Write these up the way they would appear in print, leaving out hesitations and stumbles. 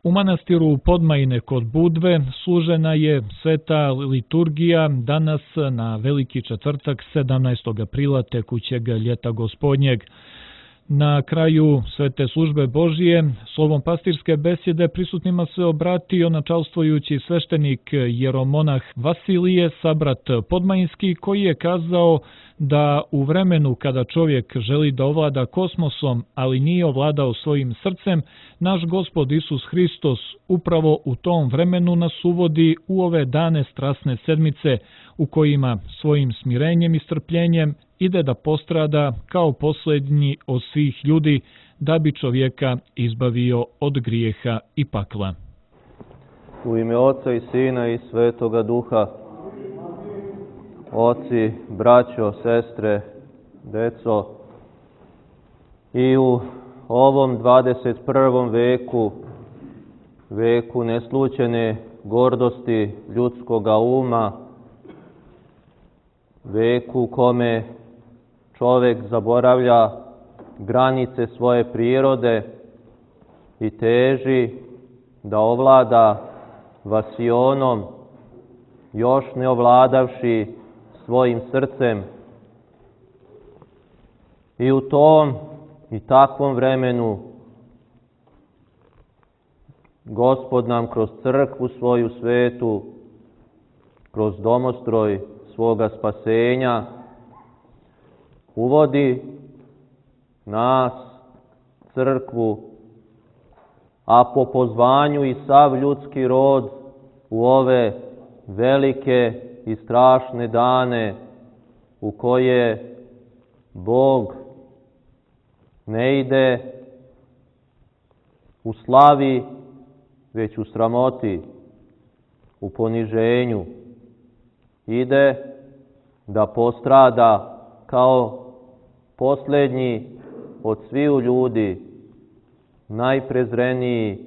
U manastiru Podmajine kod Budve služena je sveta liturgija danas na Veliki četvrtak 17. aprila tekućeg ljeta gospodnjeg. Na kraju svete službe Božije, slovom pastirske besjede prisutnima se obratio načalstvujući sveštenik jeromonah Vasilije, sabrat Podmajinski, koji je kazao da u vremenu kada čovjek želi da ovlada kosmosom, ali nije ovladao svojim srcem, naš Gospod Isus Hristos upravo u tom vremenu nas uvodi u ove dane strasne sedmice, u kojima svojim smirenjem i strpljenjem ide da postrada kao posljednji od svih ljudi, da bi čovjeka izbavio od grijeha i pakla. U ime Oca i Sina i Svetoga Duha. Oci, braćo, sestre, deco, i u ovom 21. veku neslućene gordosti ljudskoga uma, veku u kome čovjek zaboravlja granice svoje prirode i teži da ovlada vasionom, još ne ovladavši svojim srcem. I u tom i takvom vremenu Gospod nam kroz crkvu svoju svetu, kroz domostroj svoga spasenja, uvodi nas, crkvu, a po pozvanju i sav ljudski rod u ove velike i strašne dane u koje Bog ne ide u slavi, već u sramoti, u poniženju. Ide da postrada kao posljednji od sviju ljudi, najprezreniji,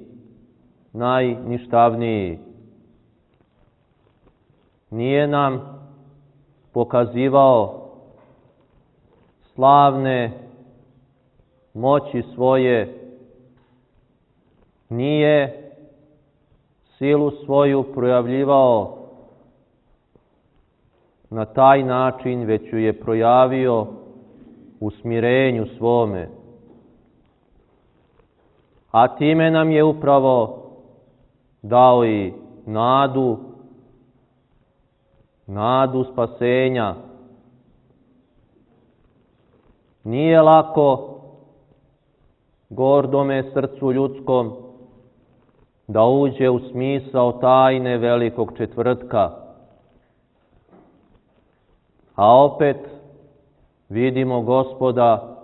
najništavniji. Nije nam pokazivao slavne moći svoje, nije silu svoju projavljivao na taj način, već ju je projavio u smirenju svome. A time nam je upravo dao i nadu spasenja. Nije lako gordome srcu ljudskom da uđe u smisao tajne Velikog četvrtka. A opet vidimo Gospoda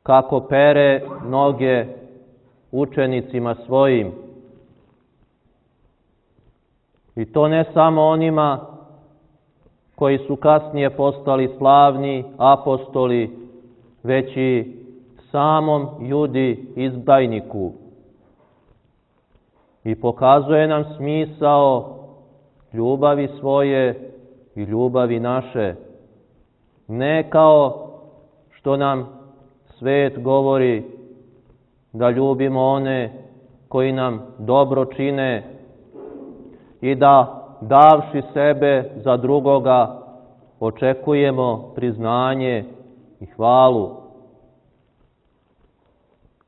kako pere noge učenicima svojim. I to ne samo onima koji su kasnije postali slavni apostoli, već i samom Judi izdajniku. I pokazuje nam smisao ljubavi svoje i ljubavi naše. Ne kao što nam svet govori da ljubimo one koji nam dobro čine i da davši sebe za drugoga očekujemo priznanje i hvalu.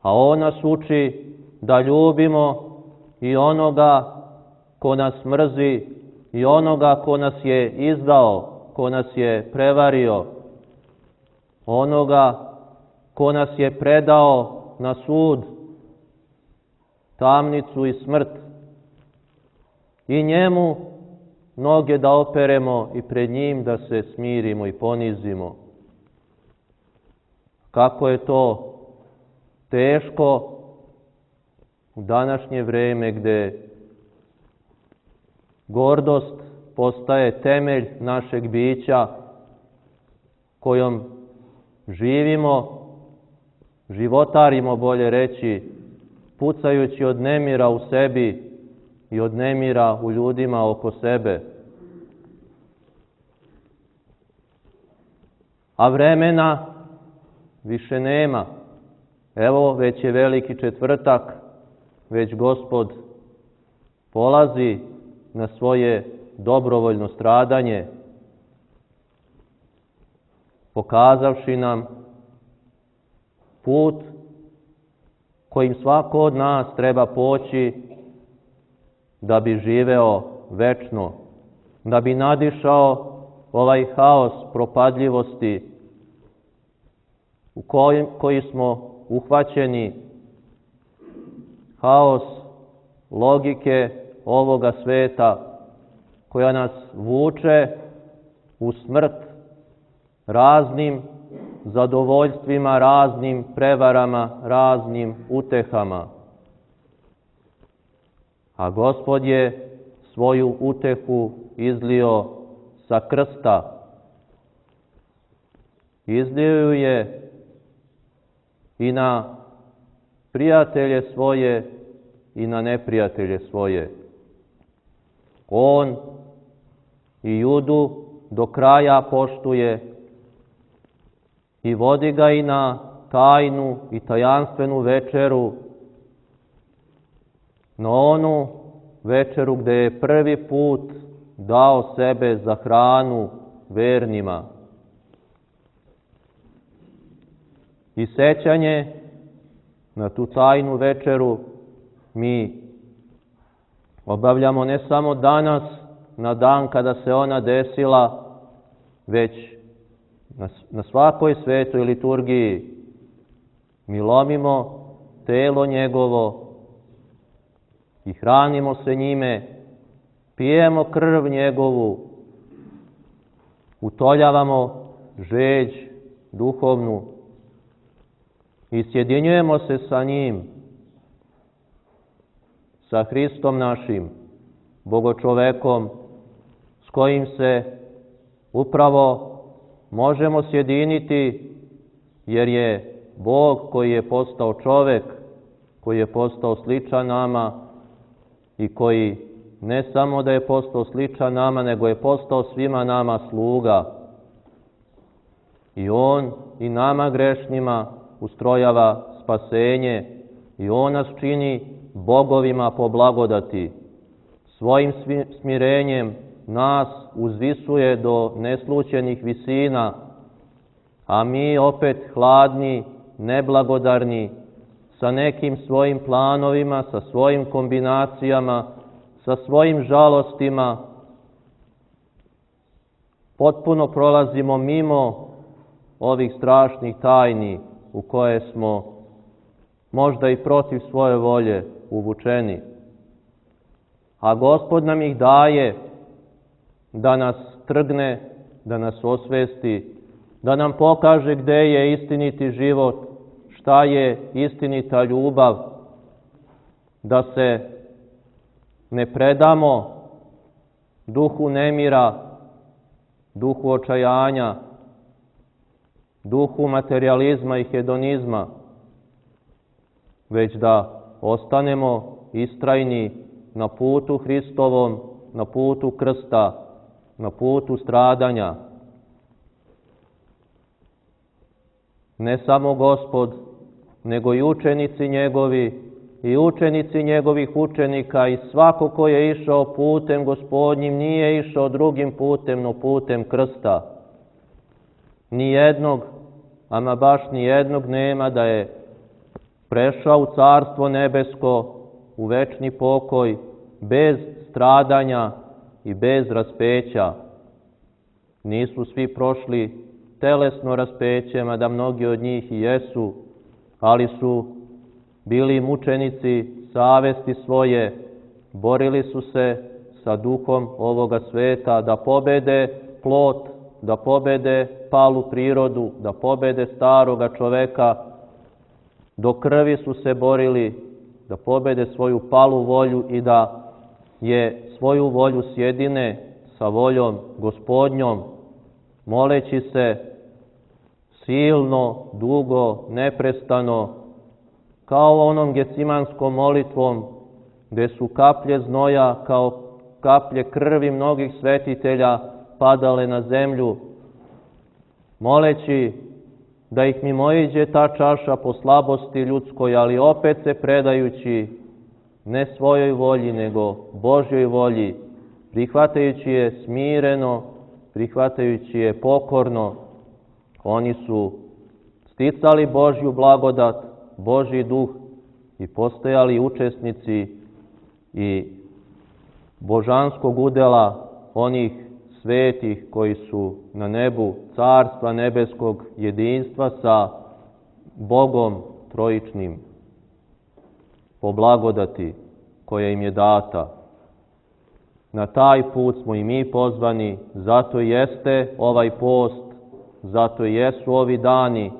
A on nas uči da ljubimo i onoga ko nas mrzi i onoga ko nas je izdao, ko nas je prevario, onoga ko nas je predao na sud, tamnicu i smrt. I njemu noge da operemo i pred njim da se smirimo i ponizimo. Kako je to teško u današnje vrijeme gdje gordost postaje temelj našeg bića kojom živimo, životarimo bolje reći, pucajući od nemira u sebi i od nemira u ljudima oko sebe. A vremena više nema. Evo, već je Veliki četvrtak, već Gospod polazi na svoje dobrovoljno stradanje, pokazavši nam put kojim svako od nas treba poći da bi živeo večno, da bi nadišao ovaj haos propadljivosti u koji smo uhvaćeni, haos logike ovoga sveta koja nas vuče u smrt raznim zadovoljstvima, raznim prevarama, raznim utehama. A Gospod je svoju utehu izlio sa krsta. Izlio ju je i na prijatelje svoje i na neprijatelje svoje. On i Judu do kraja poštuje i vodi ga i na tajnu i tajanstvenu večeru, na onu večeru gde je prvi put dao sebe za hranu vernima. I sećanje na tu tajnu večeru mi obavljamo ne samo danas, na dan kada se ona desila, već na svakoj svetoj liturgiji. Mi lomimo telo njegovo i hranimo se njime, pijemo krv njegovu, utoljavamo žeđ duhovnu i sjedinjujemo se sa njim, sa Hristom našim, Bogočovekom, s kojim se upravo možemo sjediniti, jer je Bog koji je postao čovek, koji je postao sličan nama i koji ne samo da je postao sličan nama, nego je postao svima nama sluga. I On i nama grešnima ustrojava spasenje i On nas čini bogovima po blagodati. Svojim smirenjem nas uzvisuje do neslućenih visina, a mi opet hladni, neblagodarni, sa nekim svojim planovima, sa svojim kombinacijama, sa svojim žalostima, potpuno prolazimo mimo ovih strašnih tajni u koje smo možda i protiv svoje volje uvučeni. A Gospod nam ih daje da nas trgne, da nas osvesti, da nam pokaže gde je istiniti život, šta je istinita ljubav, da se ne predamo duhu nemira, duhu očajanja, duhu materijalizma i hedonizma, već da ostanemo istrajni na putu Hristovom, na putu krsta, na putu stradanja. Ne samo Gospod, nego i učenici njegovi i učenici njegovih učenika i svako ko je išao putem Gospodnjim nije išao drugim putem, no putem krsta. Nijednog, ama baš nijednog nema da je prešao u Carstvo nebesko, u večni pokoj, bez stradanja i bez raspeća. Nisu svi prošli telesno raspeće, mada mnogi od njih i jesu, ali su bili mučenici savesti svoje, borili su se sa duhom ovoga sveta da pobede plot, da pobede palu prirodu, da pobede staroga čoveka, do krvi su se borili da pobede svoju palu volju i da je svoju volju sjedine sa voljom Gospodnjom, moleći se silno, dugo, neprestano, kao onom gecimanskom molitvom, gde su kaplje znoja kao kaplje krvi mnogih svetitelja padale na zemlju, moleći da ih mimoiđe ta čaša po slabosti ljudskoj, ali opet se predajući ne svojoj volji, nego Božjoj volji, prihvatajući je smireno, prihvatajući je pokorno. Oni su sticali Božju blagodat, Božji duh i postajali učesnici i božanskog udela onih svetih koji su na nebu Carstva nebeskog, jedinstva sa Bogom trojičnim po blagodati koja im je data. Na taj put smo i mi pozvani, zato jeste ovaj post, zato jesu ovi dani,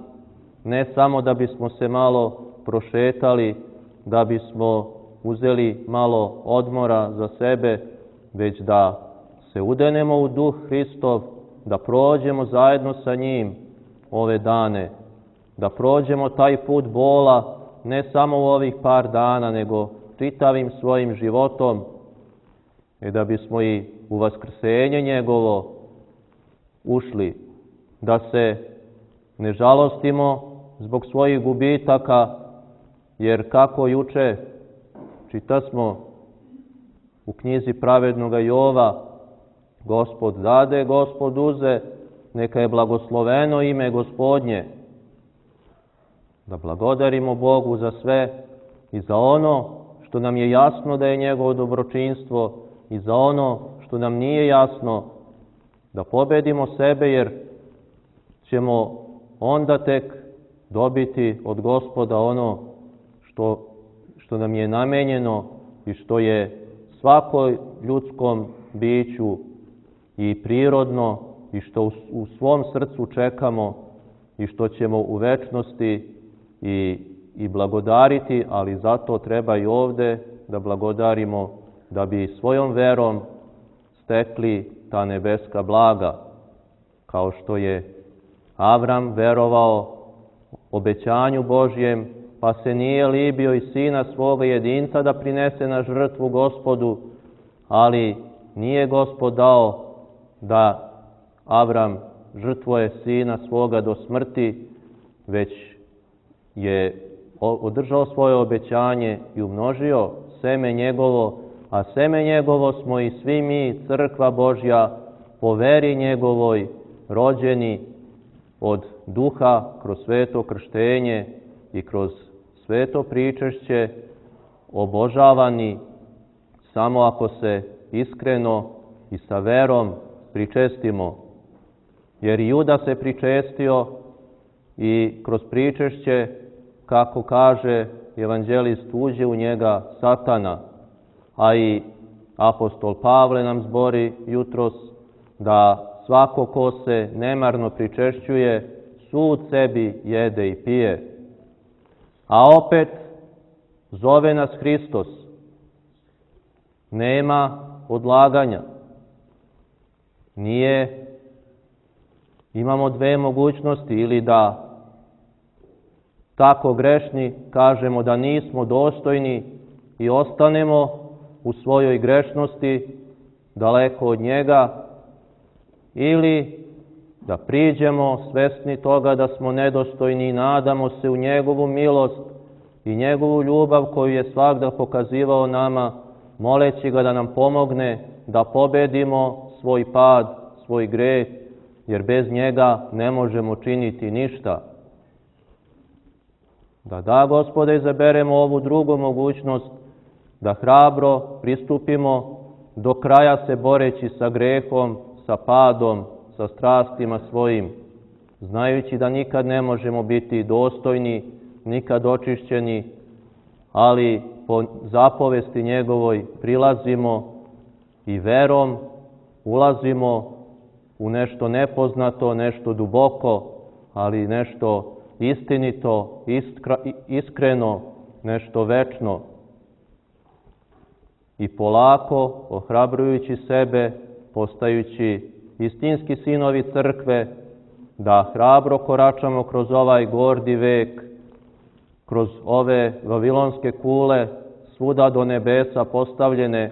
ne samo da bismo se malo prošetali, da bismo uzeli malo odmora za sebe, već da se udenemo u duh Hristov, da prođemo zajedno sa njim ove dane, da prođemo taj put bola, ne samo u ovih par dana, nego čitavim svojim životom, i da bismo i u vaskrsenje njegovo ušli, da se ne žalostimo zbog svojih gubitaka, jer kako juče čitasmo u knjizi pravednoga Jova, Gospod dade, Gospod uze, neka je blagosloveno ime Gospodnje. Da blagodarimo Bogu za sve i za ono što nam je jasno da je njegovo dobročinstvo i za ono što nam nije jasno, da pobedimo sebe, jer ćemo onda tek dobiti od Gospoda ono što nam je namenjeno i što je svakoj ljudskom biću i prirodno i što u svom srcu čekamo i što ćemo u večnosti i blagodariti, ali zato treba i ovde da blagodarimo da bi svojom verom stekli ta nebeska blaga, kao što je Avram verovao obećanju Božjem, pa se nije libio i sina svoga jedinca da prinese na žrtvu Gospodu, ali nije Gospod dao da Avram žrtvuje sina svoga do smrti, već je održao svoje obećanje i umnožio seme njegovo, a seme njegovo smo i svi mi, crkva Božja, po veri njegovoj, rođeni od duha kroz sveto krštenje i kroz sveto pričešće, obožavani samo ako se iskreno i sa verom pričestimo. Jer Juda se pričestio i kroz pričešće, kako kaže evanđelist, uđe u njega Satana, a i apostol Pavle nam zbori jutros da svako ko se nemarno pričešćuje, sud sebi jede i pije. A opet zove nas Hristos. Nema odlaganja. Imamo dve mogućnosti, ili da tako grešni kažemo da nismo dostojni i ostanemo u svojoj grešnosti daleko od njega, ili da priđemo svesni toga da smo nedostojni i nadamo se u njegovu milost i njegovu ljubav koju je svagda pokazivao nama, moleći ga da nam pomogne da pobedimo svoj pad, svoj greh, jer bez njega ne možemo činiti ništa. Da, Gospode, izaberemo ovu drugu mogućnost, da hrabro pristupimo do kraja se boreći sa grehom, sa padom, sa strastima svojim, znajući da nikad ne možemo biti dostojni, nikad očišćeni, ali po zapovesti njegovoj prilazimo i verom ulazimo u nešto nepoznato, nešto duboko, ali nešto istinito, iskreno, nešto večno. I polako, ohrabrujući sebe, postajući istinski sinovi crkve, da hrabro koračamo kroz ovaj gordi vek, kroz ove vavilonske kule, svuda do nebesa postavljene,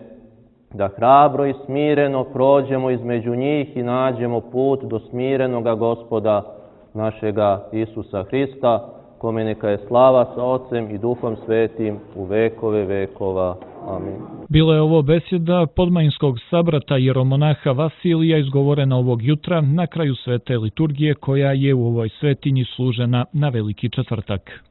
da hrabro i smireno prođemo između njih i nađemo put do smirenoga Gospoda našega Isusa Hrista, kome neka je slava sa Otcem i Duhom Svetim u vekove vekova. Amin. Bila je ovo besjeda podmajinskog sabrata jeromonaha Vasilija izgovorena ovog jutra na kraju svete liturgije koja je u ovoj svetinji služena na Veliki četvrtak.